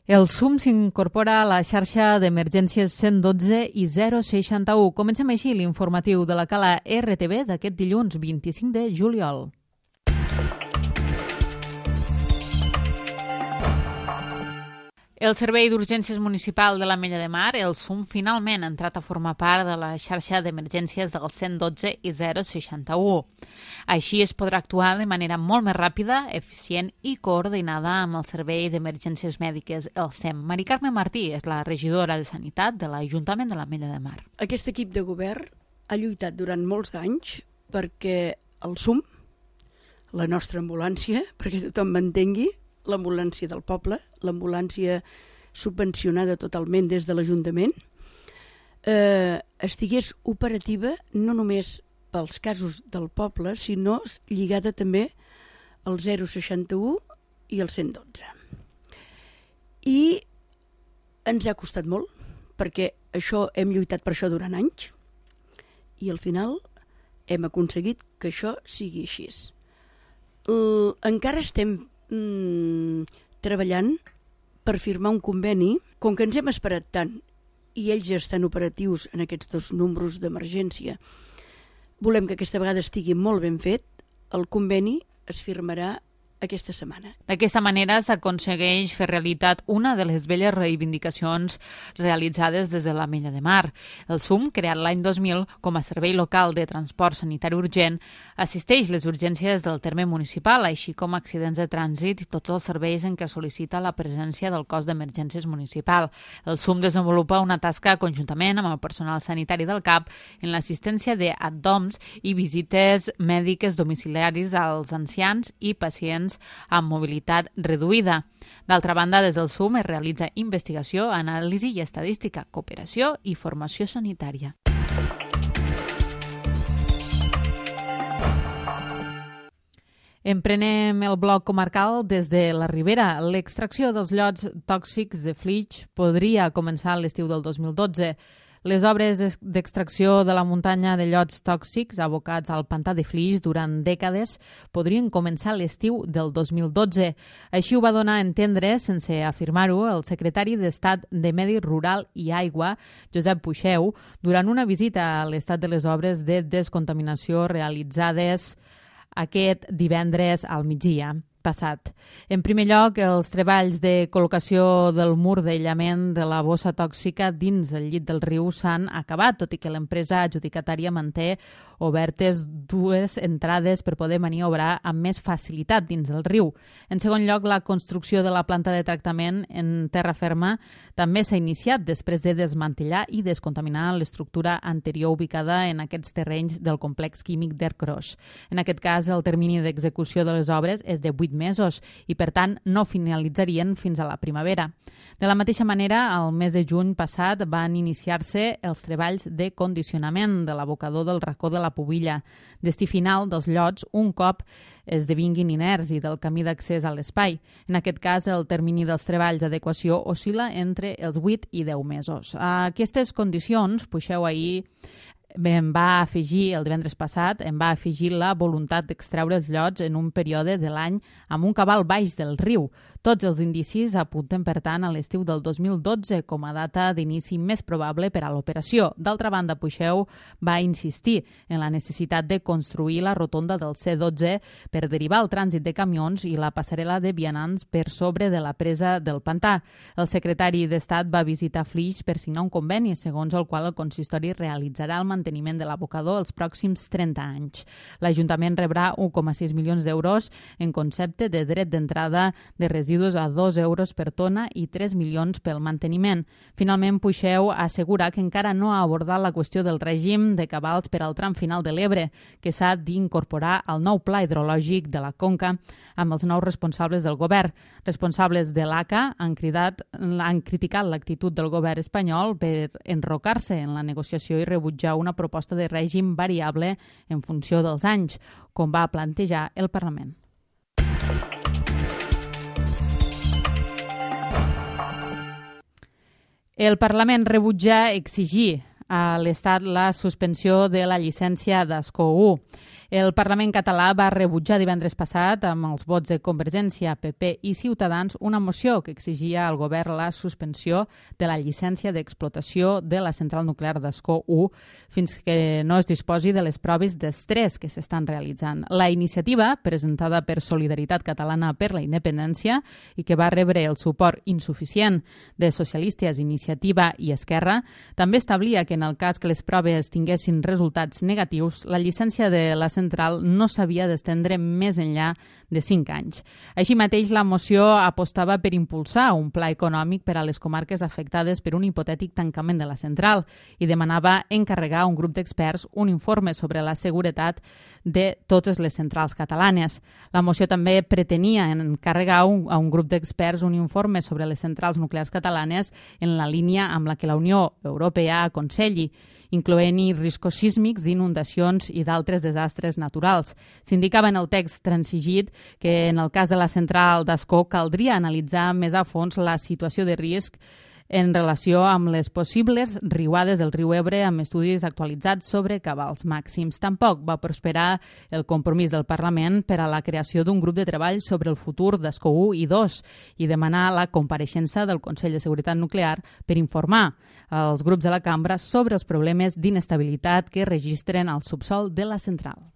El SUM s'incorpora a la xarxa d'emergències 112 i 061. Comencem així l'informatiu de la Cala RTV d'aquest dilluns 25 de juliol. El Servei d'Urgències Municipal de l'Ametlla de Mar, el SUM, finalment ha entrat a formar part de la xarxa d'emergències del 112 i 061. Així es podrà actuar de manera molt més ràpida, eficient i coordinada amb el Servei d'Emergències Mèdiques, el SEM. Mari Carme Martí és la regidora de Sanitat de l'Ajuntament de l'Ametlla de Mar. Aquest equip de govern ha lluitat durant molts d'anys perquè el SUM, la nostra ambulància, perquè tothom m'entengui, l'ambulància del poble, l'ambulància subvencionada totalment des de l'Ajuntament, estigués operativa no només pels casos del poble, sinó lligada també al 061 i al 112. I ens ha costat molt, perquè hem lluitat per això durant anys, i al final hem aconseguit que això sigui així. Encara estem treballant per firmar un conveni. Com que ens hem esperat tant i ells ja estan operatius en aquests dos números d'emergència, volem que aquesta vegada estigui molt ben fet. El conveni es firmarà aquesta setmana. D'aquesta manera s'aconsegueix fer realitat una de les velles reivindicacions realitzades des de l'Ametlla de Mar. El SUM, creat l'any 2000 com a servei local de transport sanitari urgent, assisteix les urgències del terme municipal, així com accidents de trànsit i tots els serveis en què sol·licita la presència del cos d'emergències municipal. El SUM desenvolupa una tasca conjuntament amb el personal sanitari del CAP en l'assistència d'ADDOMS i visites mèdiques domiciliaris als ancians i pacients amb mobilitat reduïda. D'altra banda, des del SUM es realitza investigació, anàlisi i estadística, cooperació i formació sanitària. Emprenem el bloc comarcal des de la Ribera. L'extracció dels llots tòxics de Flix podria començar a l'estiu del 2012. Les obres d'extracció de la muntanya de llots tòxics abocats al pantà de Flix durant dècades podrien començar a l'estiu del 2012. Així ho va donar a entendre, sense afirmar-ho, el secretari d'Estat de Medi Rural i Aigua, Josep Puixeu, durant una visita a l'estat de les obres de descontaminació realitzades aquest divendres al migdia passat. En primer lloc, els treballs de col·locació del mur d'aïllament de la bossa tòxica dins el llit del riu s'han acabat, tot i que l'empresa adjudicatària manté obertes dues entrades per poder maniobrar amb més facilitat dins el riu. En segon lloc, la construcció de la planta de tractament en terra ferma també s'ha iniciat després de desmantellar i descontaminar l'estructura anterior ubicada en aquests terrenys del complex químic d'Ercros. En aquest cas, el termini d'execució de les obres és de 8 mesos i, per tant, no finalitzarien fins a la primavera. De la mateixa manera, el mes de juny passat van iniciar-se els treballs de condicionament de l'abocador del racó de la Pubilla, destí final dels llots un cop esdevinguin inerts i del camí d'accés a l'espai. En aquest cas, el termini dels treballs d'adequació oscil·la entre els 8 i 10 mesos. A aquestes condicions, Puixeu ahir em va afegir, el divendres passat, la voluntat d'extreure els llots en un període de l'any amb un cabal baix del riu. Tots els indicis apunten, per tant, a l'estiu del 2012 com a data d'inici més probable per a l'operació. D'altra banda, Puixeu va insistir en la necessitat de construir la rotonda del C12 per derivar el trànsit de camions i la passarel·la de vianants per sobre de la presa del pantà. El secretari d'Estat va visitar Flix per signar un conveni, segons el qual el consistori realitzarà el manteniment de l'abocador els pròxims 30 anys. L'Ajuntament rebrà 1,6 milions d'euros en concepte de dret d'entrada de residus a 2 euros per tona i 3 milions pel manteniment. Finalment, Puixeu assegura que encara no ha abordat la qüestió del règim de cabals per al tram final de l'Ebre, que s'ha d'incorporar al nou pla hidrològic de la Conca amb els nous responsables del govern. Responsables de l'ACA han criticat l'actitud del govern espanyol per enrocar-se en la negociació i rebutjar una proposta de règim variable en funció dels anys, com va plantejar el Parlament. El Parlament rebutja exigir a l'Estat la suspensió de la llicència d'Ascó 1. El Parlament català va rebutjar divendres passat, amb els vots de Convergència, PP i Ciutadans, una moció que exigia al govern la suspensió de la llicència d'explotació de la central nuclear d'Ascó 1 fins que no es disposi de les proves d'estrès que s'estan realitzant. La iniciativa, presentada per Solidaritat Catalana per la Independència i que va rebre el suport insuficient de Socialistes, Iniciativa i Esquerra, també establia que en el cas que les proves tinguessin resultats negatius, la llicència de la central no s'havia d'estendre més enllà de 5 anys. Així mateix, la moció apostava per impulsar un pla econòmic per a les comarques afectades per un hipotètic tancament de la central i demanava encarregar a un grup d'experts un informe sobre la seguretat de totes les centrals catalanes. La moció també pretenia encarregar a un grup d'experts un informe sobre les centrals nuclears catalanes en la línia amb la que la Unió Europea aconselli, incloent-hi riscos sísmics, d'inundacions i d'altres desastres naturals. S'indicava en el text transigit que en el cas de la central d'Ascó caldria analitzar més a fons la situació de risc en relació amb les possibles riuades del riu Ebre amb estudis actualitzats sobre cabals màxims. Tampoc va prosperar el compromís del Parlament per a la creació d'un grup de treball sobre el futur d'Ascó 1 i 2 i demanar la compareixença del Consell de Seguretat Nuclear per informar als grups de la cambra sobre els problemes d'inestabilitat que registren al subsol de la central.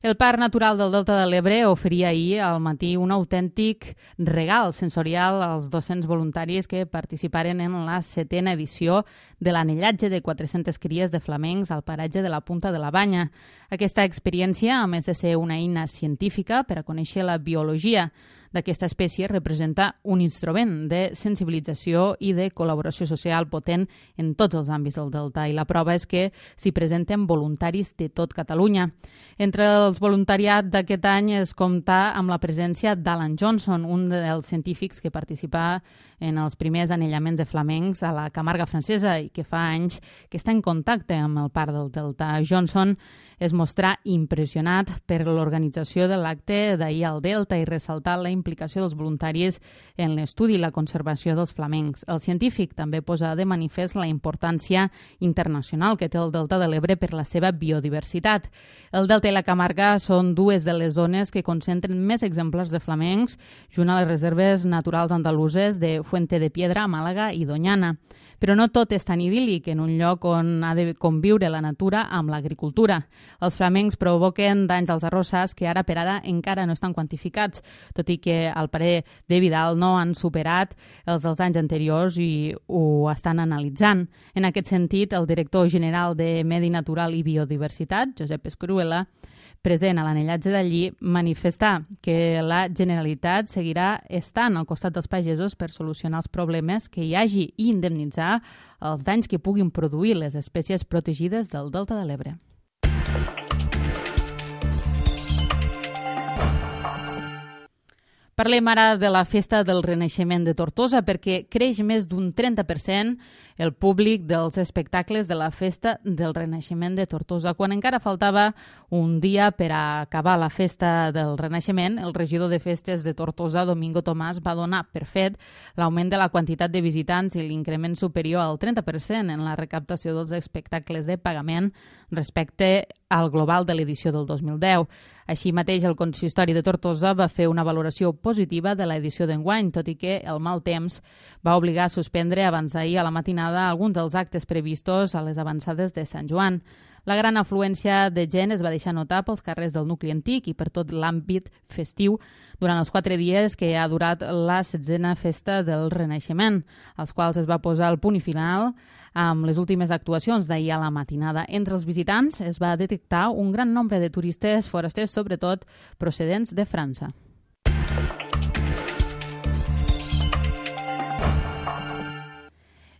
El Parc Natural del Delta de l'Ebre oferia ahir al matí un autèntic regal sensorial als 200 voluntaris que participaren en la 7a edició de l'anellatge de 400 cries de flamencs al paratge de la Punta de la Banya. Aquesta experiència, a més de ser una eina científica per a conèixer la biologia d'aquesta espècie, representa un instrument de sensibilització i de col·laboració social potent en tots els àmbits del Delta, i la prova és que s'hi presenten voluntaris de tot Catalunya. Entre els voluntariat d'aquest any es compta amb la presència d'Alan Johnson, un dels científics que participa en els primers anellaments de flamencs a la Camarga francesa i que fa anys que està en contacte amb el Parc del Delta. Johnson es mostrà impressionat per l'organització de l'acte d'ahir al Delta i ressaltar la implicació dels voluntaris en l'estudi i la conservació dels flamencs. El científic també posa de manifest la importància internacional que té el Delta de l'Ebre per la seva biodiversitat. El Delta i la Camarga són dues de les zones que concentren més exemplars de flamencs, junt a les reserves naturals andaluses de Fuente de Piedra, Màlaga i Doñana. Però no tot és tan idíl·lic en un lloc on ha de conviure la natura amb l'agricultura. Els flamencs provoquen danys als arrossars que ara per ara encara no estan quantificats, tot i que al parer de Vidal no han superat els dels anys anteriors i ho estan analitzant. En aquest sentit, el director general de Medi Natural i Biodiversitat, Josep Escruela, present a l'anellatge d'allí, manifestar que la Generalitat seguirà estant al costat dels pagesos per solucionar els problemes que hi hagi i indemnitzar els danys que puguin produir les espècies protegides del Delta de l'Ebre. Parlem ara de la Festa del Renaixement de Tortosa perquè creix més d'un 30% el públic dels espectacles de la Festa del Renaixement de Tortosa. Quan encara faltava un dia per a acabar la Festa del Renaixement, el regidor de Festes de Tortosa, Domingo Tomàs, va donar per fet l'augment de la quantitat de visitants i l'increment superior al 30% en la recaptació dels espectacles de pagament respecte al global de l'edició del 2010. Així mateix, el consistori de Tortosa va fer una valoració positiva de l'edició d'enguany, tot i que el mal temps va obligar a suspendre abans d'ahir a la matinada alguns dels actes previstos a les avançades de Sant Joan. La gran afluència de gent es va deixar notar pels carrers del nucli antic i per tot l'àmbit festiu durant els 4 dies que ha durat la 16a Festa del Renaixement, als quals es va posar el punt i final amb les últimes actuacions d'ahir a la matinada. Entre els visitants es va detectar un gran nombre de turistes forasters, sobretot procedents de França.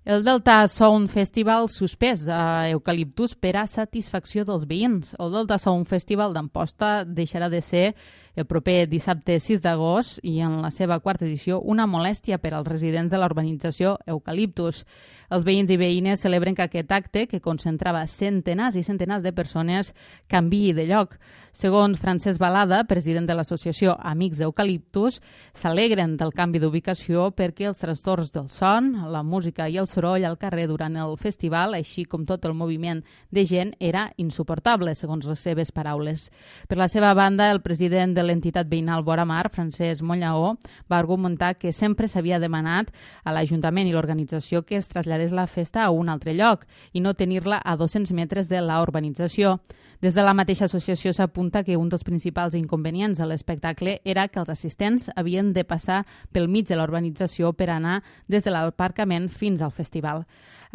El Delta Sound Festival suspès a Eucaliptus per a satisfacció dels veïns. El Delta Sound Festival d'Amposta deixarà de ser el proper dissabte 6 d'agost i en la seva 4ª edició una molèstia per als residents de la urbanització Eucaliptus. Els veïns i veïnes celebren que aquest acte, que concentrava centenars i centenars de persones, canviï de lloc. Segons Francesc Balada, president de l'associació Amics d'Eucaliptus, s'alegren del canvi d'ubicació perquè els trastorns del son, la música i el soroll al carrer durant el festival, així com tot el moviment de gent, era insuportable, segons les seves paraules. Per la seva banda, el president de l'entitat veïnal Vora Mar, Francesc Monllaó, va argumentar que sempre s'havia demanat a l'Ajuntament i l'organització que es traslladés la festa a un altre lloc i no tenir-la a 200 metres de la urbanització. Des de la mateixa associació s'apunta que un dels principals inconvenients de l'espectacle era que els assistents havien de passar pel mig de la urbanització per anar des de l'aparcament fins al festival.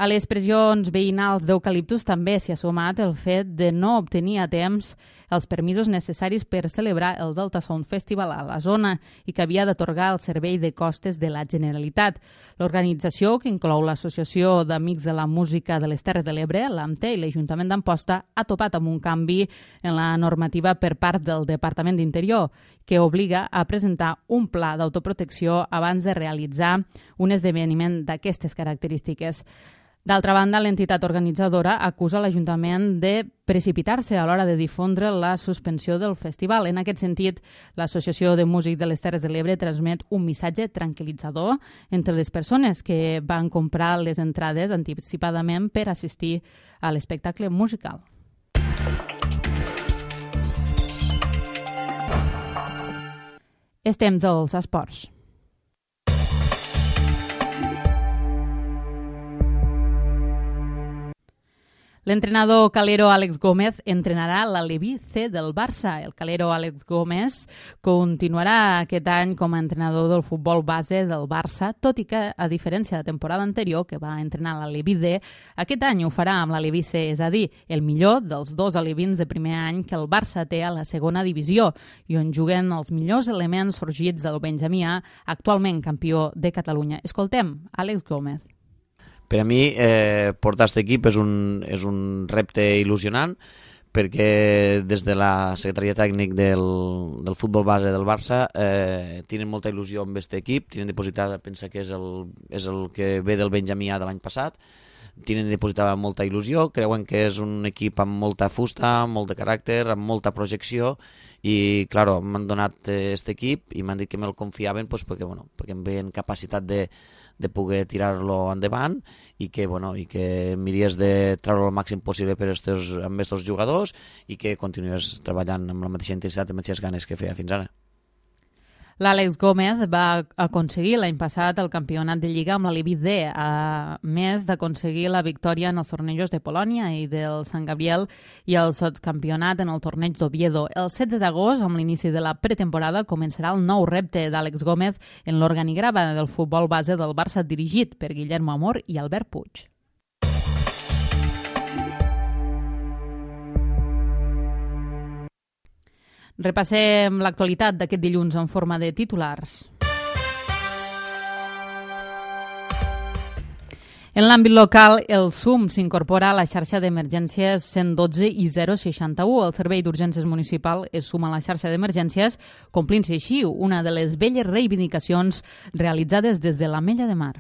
A les pressions veïnals d'Eucaliptus també s'hi ha sumat el fet de no obtenir a temps els permisos necessaris per celebrar el Delta Sound Festival a la zona i que havia d'atorgar el servei de costes de la Generalitat. L'organització, que inclou l'Associació d'Amics de la Música de les Terres de l'Ebre, l'AMTE i l'Ajuntament d'Amposta, ha topat amb un canvi en la normativa per part del Departament d'Interior, que obliga a presentar un pla d'autoprotecció abans de realitzar un esdeveniment d'aquestes característiques. D'altra banda, l'entitat organitzadora acusa l'Ajuntament de precipitar-se a l'hora de difondre la suspensió del festival. En aquest sentit, l'Associació de Músics de les Terres de l'Ebre transmet un missatge tranquil·litzador entre les persones que van comprar les entrades anticipadament per assistir a l'espectacle musical. És temps dels esports. L'entrenador calero Àlex Gómez entrenarà l'Aleví C del Barça. El calero Àlex Gómez continuarà aquest any com a entrenador del futbol base del Barça, tot i que, a diferència de la temporada anterior, que va entrenar l'Aleví D, aquest any ho farà amb l'Aleví C, és a dir, el millor dels dos alevins de primer any que el Barça té a la segona divisió i on juguen els millors elements sorgits del Benjamí A, actualment campió de Catalunya. Escoltem Àlex Gómez. Per a mi, portar aquest equip és un repte il·lusionant, perquè des de la secretaria tècnic del futbol base del Barça tenen molta il·lusió amb aquest equip, tenen depositada, pensa que és el que ve del Benjamí A de l'any passat, tenen depositada molta il·lusió, creuen que és un equip amb molta fusta, amb molt de caràcter, amb molta projecció, i clar, m'han donat aquest equip i m'han dit que me'l confiaven perquè em veien capacitat de poder tirar-lo endavant i que miries de treure el màxim possible amb aquests jugadors i que continués treballant amb la mateixa intensitat i les mateixes ganes que feia fins ara. L'Àlex Gómez va aconseguir l'any passat el campionat de Lliga amb l'Aleví D, a més d'aconseguir la victòria en els tornejos de Polònia i del Sant Gabriel i el sotscampionat en el torneig d'Oviedo. El 16 d'agost, amb l'inici de la pretemporada, començarà el nou repte d'Àlex Gómez en l'organigrama del futbol base del Barça dirigit per Guillermo Amor i Albert Puig. Repassem l'actualitat d'aquest dilluns en forma de titulars. En l'àmbit local, el SUM s'incorpora a la xarxa d'emergències 112 i 061. El Servei d'Urgències Municipal es suma a la xarxa d'emergències, complint-se així una de les velles reivindicacions realitzades des de l'Ametlla de Mar.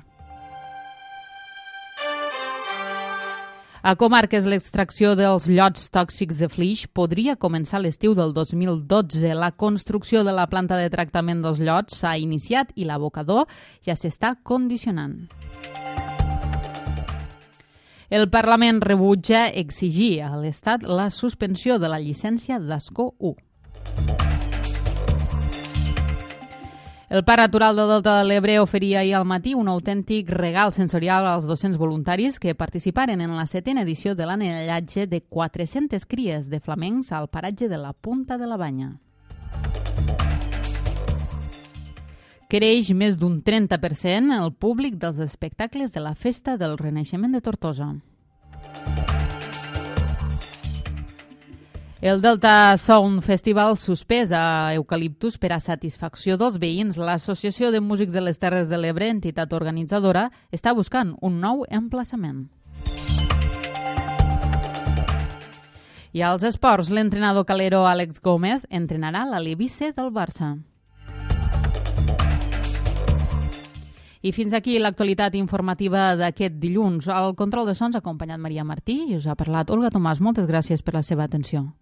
A Comarques, l'extracció dels llots tòxics de Flix podria començar a l'estiu del 2012. La construcció de la planta de tractament dels llots s'ha iniciat i l'abocador ja s'està condicionant. El Parlament rebutja exigir a l'Estat la suspensió de la llicència d'Ascó 1. El Parc Natural del Delta de l'Ebre oferia ahir al matí un autèntic regal sensorial als docents voluntaris que participaren en la 7a edició de l'anellatge de 400 cries de flamencs al paratge de la Punta de la Banya. Creix més d'un 30% el públic dels espectacles de la Festa del Renaixement de Tortosa. El Delta Sound Festival suspès a Eucaliptus per a satisfacció dels veïns. L'Associació de Músics de les Terres de l'Ebre, entitat organitzadora, està buscant un nou emplaçament. I als esports, l'entrenador calero Àlex Gómez entrenarà l'Aleví C del Barça. I fins aquí l'actualitat informativa d'aquest dilluns. Al control de sons ha acompanyat Maria Martí i us ha parlat Olga Tomàs. Moltes gràcies per la seva atenció.